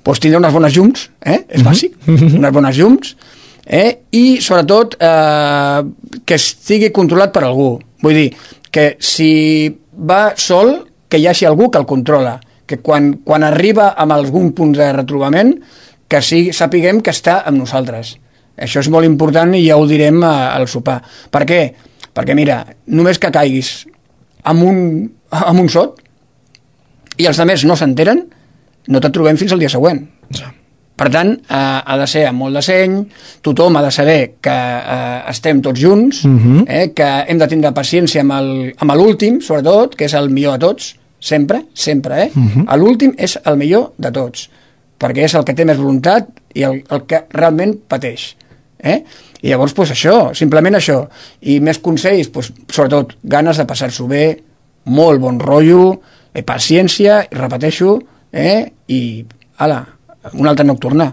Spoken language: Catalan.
doncs tindre unes bones llums, és bàsic, unes bones llums, i sobretot que estigui controlat per algú. Vull dir, que si va sol, que hi hagi algú que el controla, que quan arriba amb algun punt de retrobament, que sapiguem que està amb nosaltres. Això és molt important i ja ho direm al sopar. Per què? Perquè, mira, només que caiguis amb un sot i els altres no s'enteren, no te'n trobem fins al dia següent. Sí. Per tant, ha de ser amb molt de seny, tothom ha de saber que estem tots junts, que hem de tindre paciència amb l'últim, sobretot, que és el millor de tots, sempre, l'últim és el millor de tots, perquè és el que té més voluntat i el que realment pateix. I llavors, doncs això, simplement això. I més consells, doncs, sobretot, ganes de passar-s'ho bé, molt bon rotllo, paciència, repeteixo, i, ala, una altra nocturna.